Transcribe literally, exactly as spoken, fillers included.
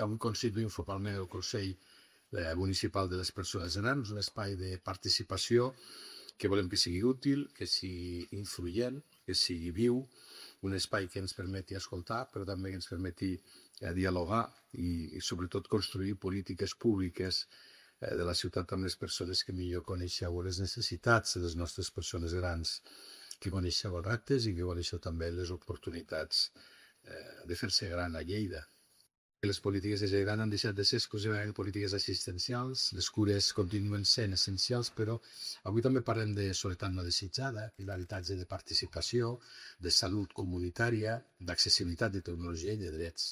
Avui constituïm formalment el Consell eh, Municipal de les Persones Grans, un espai de participació que volem que sigui útil, que sigui influent, que sigui viu, un espai que ens permeti escoltar, però també que ens permeti eh, dialogar i, i sobretot construir polítiques públiques eh, de la ciutat amb les persones que millor coneixeu les necessitats de les nostres persones grans, que coneixeu els reptes i que coneixeu també les oportunitats eh, de fer-se gran a Lleida. Les polítiques de gent gran han deixat de ser exclusivament polítiques assistencials, les cures continuen sent essencials, però avui també parlem de soledat no desitjada, d'habitatge de participació, de salut comunitària, d'accessibilitat de tecnologia i de drets.